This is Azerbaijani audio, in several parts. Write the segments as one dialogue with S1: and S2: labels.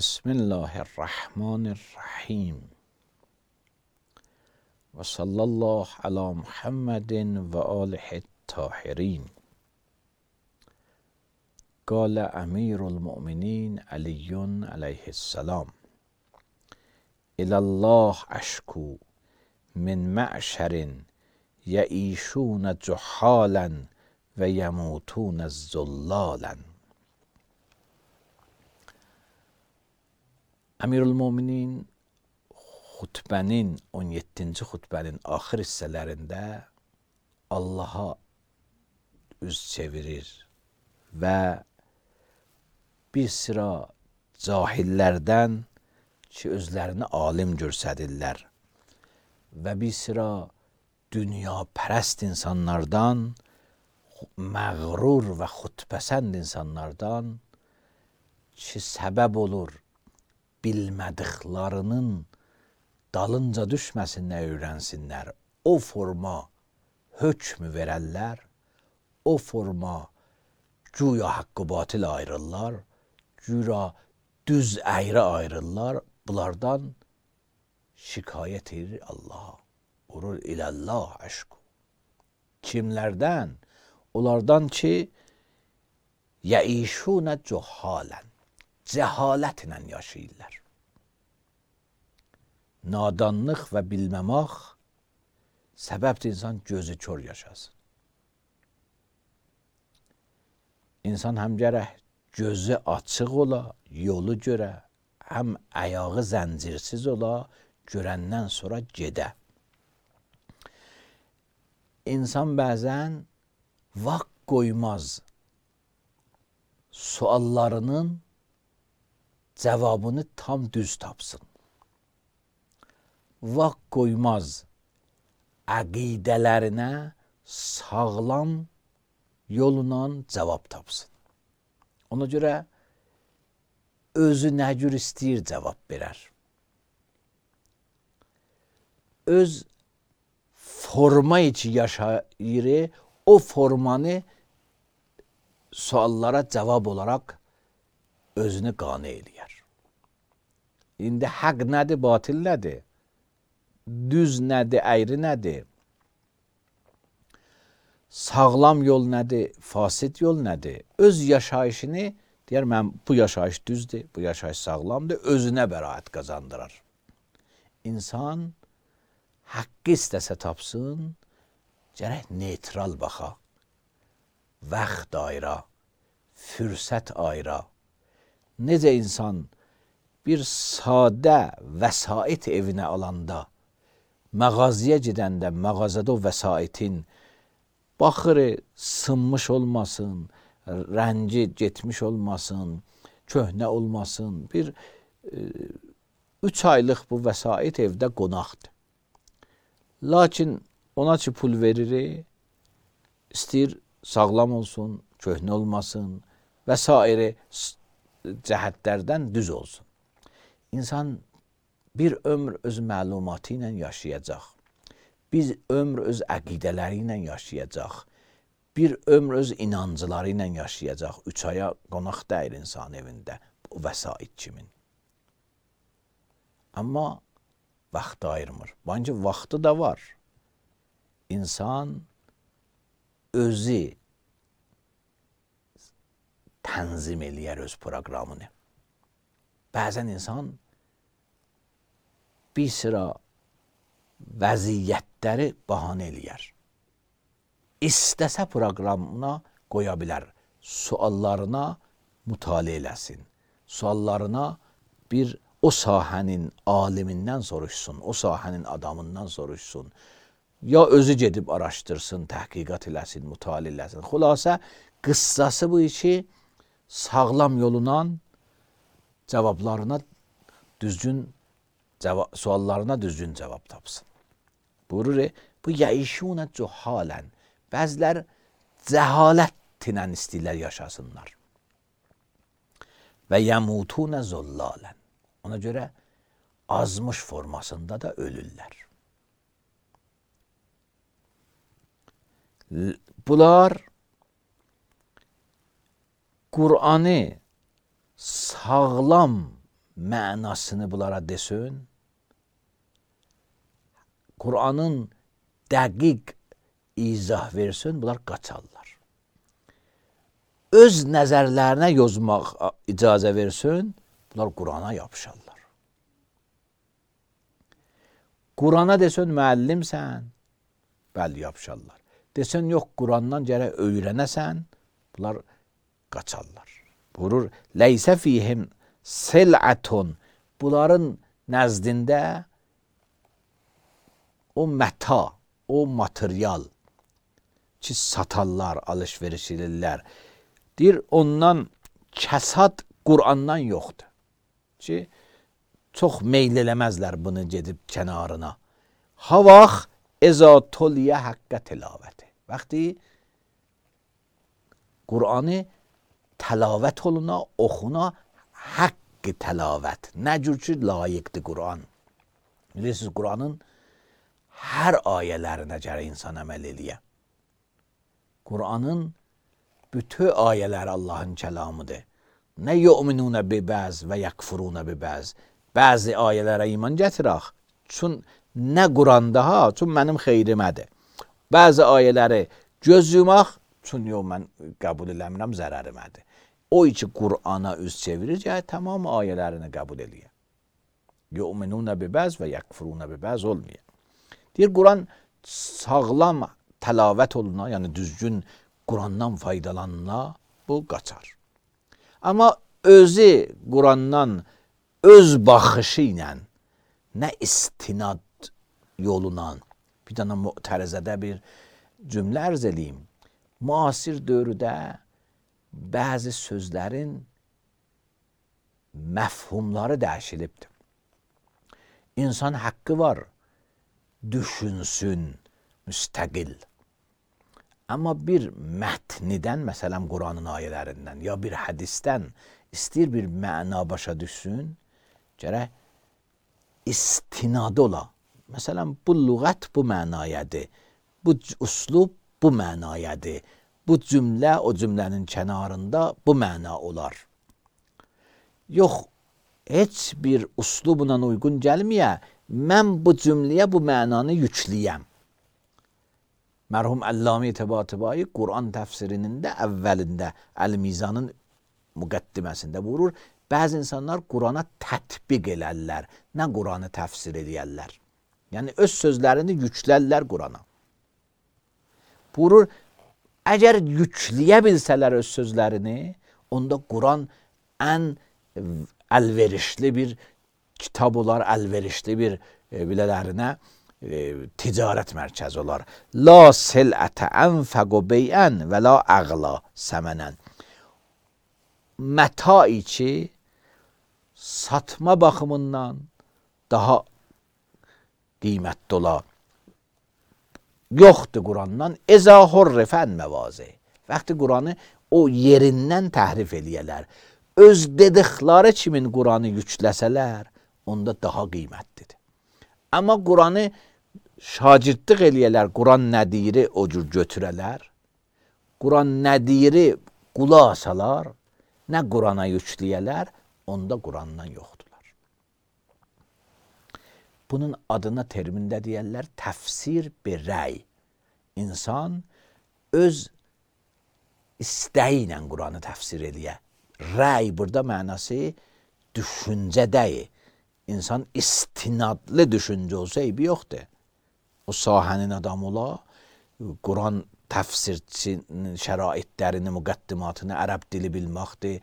S1: بسم الله الرحمن الرحیم و صلی الله علی محمد و آله الطاهرین. قال امیر المؤمنین علی علیه السلام: الی الله اشکو من معشر یعیشون جحالا و یموتون ذلالا. Əmirül-Möminin xutbənin 17-ci xutbənin axır hissələrində Allaha üz çevirir və bir sıra cahillərdən ki, özlərini alim görsədirlər və bir sıra dünyapərəst insanlardan, məğrur və xudpəsənd insanlardan ki, səbəb olur bilmədiklərinin dalınca düşməsinlər, öyrənsinlər. O forma hökmü verərlər, o forma güya haqqı batil ayrırlar, güya düz əyrə ayrırlar. Bunlardan şikayət edir Allaha. Vurur iləllah əşku. Kimlərdən? Onlardan ki, yəişunə cühalən. Cəhalətlə yaşayırlar. Nadanlıq və bilməmək səbəbdir insan gözü kör yaşasın. İnsan həm gərək gözü açıq ola, yolu görə, həm ayağı zəncirsiz ola, görəndən sonra gedə. İnsan bəzən vaxt qoymaz suallarının cavabını tam düz tapsın. Vaxt qoymaz əqidələrinə sağlam yolla cavab tapsın. Ona görə özü nə cür istəyir cavab verər. Öz forma içi yaşayır, o formanı suallara cavab olaraq özünü qane eləyər. İndi haqq nədir, batil nədir? Düz nədir, əyri nədir? Sağlam yol nədir, fasid yol nədir? Öz yaşayışını deyər, mən bu yaşayış düzdür, bu yaşayış sağlamdır, özünə bəraət qazandırar. İnsan haqqı istəsə tapsın, gərək neytral baxa. Vaxt ayıra, fürsət ayıra. Necə insan bir sadə vəsait evinə alanda, mağazaya gedəndə, mağazada o vəsaitin baxır, sınmış olmasın, rəngi getmiş olmasın, köhnə olmasın. Bir 3 aylıq bu vəsait evdə qonaqdır. Lakin ona ki pul verir, istəyir sağlam olsun, köhnə olmasın və s. cəhətlərdən düz olsun. İnsan bir ömr öz məlumatı ilə yaşayacaq. Bir ömr öz əqidələri ilə yaşayacaq. Bir ömr öz inancıları ilə yaşayacaq. 3 aya qonaq deyil insan evində. O vəsait kimin. Amma vaxt ayırmır. Bence vaxtı da var. İnsan özü tənzim eləyər öz proqramını. Bəzən insan bir sıra vəziyyətləri bahanə eləyər. İstəsə proqramına qoya bilər. Suallarına mütaliə eləsin. Suallarına bir o sahənin alimindən soruşsun, o sahənin adamından soruşsun. Ya özü gedib araşdırsın, təhqiqat eləsin, mütaliə eləsin. Xülasə, qıssası bu işi sağlam yolundan cavablarına düzgün suallarına düzgün cavab tapsın. Buyurur, bu yəişunə cühalən. Bəzilər cəhalətlə istəyirlər yaşasınlar. Və yəmutunə zollalən. Ona görə azmış formasında da ölürlər. Bunlar Kur'an'ı sağlam mənasını bunlara desin, Qur'anın dəqiq izah versin, bunlar qaçarlar. Öz nəzərlərinə yozmaq icazə versin, bunlar Qur'ana yapışarlar. Qur'ana desin müəllimsən, bəli yapışarlar. Desin yox Qur'andan gərək öyrənəsən, bunlar qaçarlar. Buyurur, leysə fihim sil'atun, bunların nəzdində o məta, o material ki satarlar, alış-veriş edirlər. Deyir, ondan kəsad Qur'andan yoxdur. Ki, çox meyl eləməzlər bunu gedib kənarına. Ha vaxt eza toliyə haqqə tilavəti. Vaxti Qur'anı təlavət oluna, oxuna haqqı təlavət. Nə cür ki, layiqdir Qur'an. Bilirsiniz, Qur'anın hər ayələrinə gərək insan əməl eləyə. Qur'anın bütün ayələri Allahın kəlamıdır. Nə yu'minunə bi bəz və yəkfurunə bi bəz. Bəzi ayələrə iman gətirək. Çün nə Qur'anda ha, çün mənim xeyrimədir. Bəzi ayələri göz yumaq, çün yox mən qəbul eləmirəm, zərərimədir. O ki Qur'ana üz çevirir, yəni tamam ayələrini qəbul eləyə. Yu'minunə bi bəz və yəkfurunə bi bəz olmuyor. Deyir, Qur'an sağlam təlavət oluna, yəni düzgün Qur'andan faydalanına, bu qaçar. Amma özü Qur'andan öz baxışı ilə, nə istinad yoluna, bir dənə mütərizədə bir cümlə ərz eləyim. Müasir dövrdə bəzi sözlərin məfhumları dəyişilibdir. İnsan haqqı var, düşünsün, müstəqil. Amma bir mətnidən, məsələn Qur'anın ayələrindən ya bir hədisdən istəyir bir məna başa düşsün, gərək istinadı ola. Məsələn, bu lüğət bu mənayadır, bu üslub bu mənayadır, bu cümlə o cümlənin kənarında bu məna olar. Yox, heç bir üslubuna uyğun gəlməyə, mən bu cümləyə bu mənanı yükləyəm. Mərhum Əlləmi Təbatəbai Qur'an təfsirinin də əvvəlində Əl-Mizanın müqəddiməsində buyurur, bəzi insanlar Qur'ana tətbiq elərlər, nə Qur'anı təfsir edərlər. Yəni öz sözlərini yüklərlər Qur'ana. Buyurur, əgər yükləyə bilsələr öz sözlərini, onda Qur'an ən əlverişli bir kitab olar, əlverişli bir bilələrinə ticarət mərkəzi olar. La sil'ətə ənfəqu beyən və la əğla səmənən. Mətai ki, satma baxımından daha qiymətli ola. Yoxdur Qur'andan əzə hurrifən məvazi. Vaxtı Qur'anı o yerindən təhrif eləyələr. Öz dedikləri kimin Qur'anı yükləsələr, onda daha qiymətlidir. Amma Qur'anı şagirdlik eləyələr, Qur'an nə deyiri o cür götürələr, Qur'an nə deyiri qulaq asalar, nə Qur'ana yükləyələr, onda Qur'andan yoxdular. Bunun adına termində deyərlər təfsir bir rəy. İnsan öz istəyi ilə Qur'anı təfsir eləyə. Rəy burada mənası düşüncədəyi. İnsan istinadlı düşüncə olsa eybi yoxdur. O sahənin adamı ola, Qur'an təfsirçinin şəraitlərini, müqəddimatını, ərəb dili bilməkdir,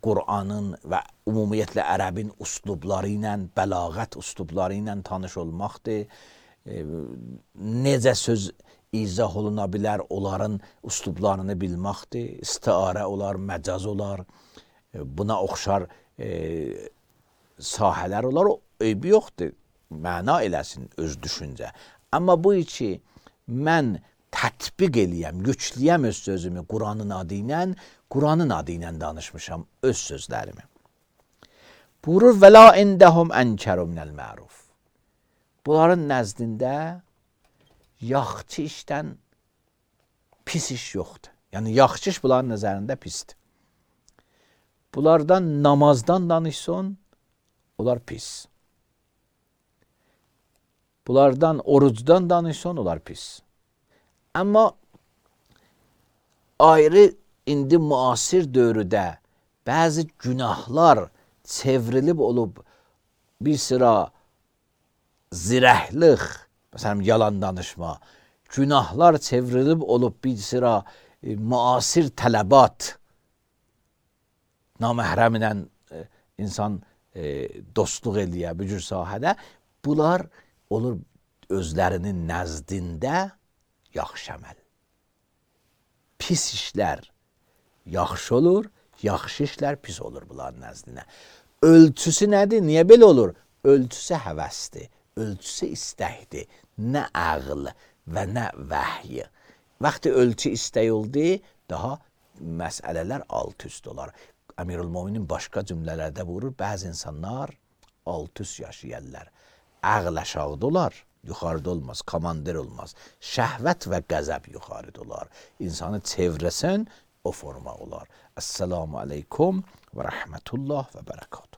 S1: Qur'anın və ümumiyyətlə ərəbin üslubları ilə, bəlağət üslubları ilə tanış olmaqdır, necə söz izah oluna bilər, onların üslublarını bilməkdir, istiarə olar, məcaz olar, buna oxşar sahələr olar, o eybi yoxdur. Məna eləsin öz düşüncə. Amma bu ki, mən tətbiq eləyəm, yükləyəm öz sözümü Qur'anın adı ilə, Qur'anın adı ilə danışmışam öz sözlərimi. Buyurur, və la indəhum ənkəru minəl məruf. Bunların nəzdində yaxşı işdən pis iş yoxdur. Yəni, yaxşı iş bunların nəzərində pisdir. Bunlardan namazdan danışsan, onlar pis. Bunlardan orucdan danışsan, onlar pis. Amma ayrı indi müasir dövrdə bəzi günahlar çevrilib olub bir sıra zirəhlik, məsələn yalan danışma, günahlar çevrilib olub bir sıra müasir tələbat, naməhrəmlə insan dostluq eləyə bu cür sahədə, bunlar olur özlərinin nəzdində yaxşı əməl. Pis işlər yaxşı olur, yaxşı işlər pis olur bunların nəzdinə. Ölçüsü nədir? Niyə belə olur? Ölçüsü həvəsdir, ölçüsü istəkdir, nə ağıl və nə vəhy. Vaxtı ölçü istək oldu, daha məsələlər alt-üst olar. Əmirül-Möminin başqa cümlələrdə buyurur, bəzi insanlar alt-üst yaşayarlar. Ağıl aşağıda olar, yuxarıda olmaz, komandir olmaz. Şəhvət və qəzəb yuxarıda olar. İnsanı çevrəsən, o forma olar. Esselamu aleykum və rəhmətullah və bərəkət.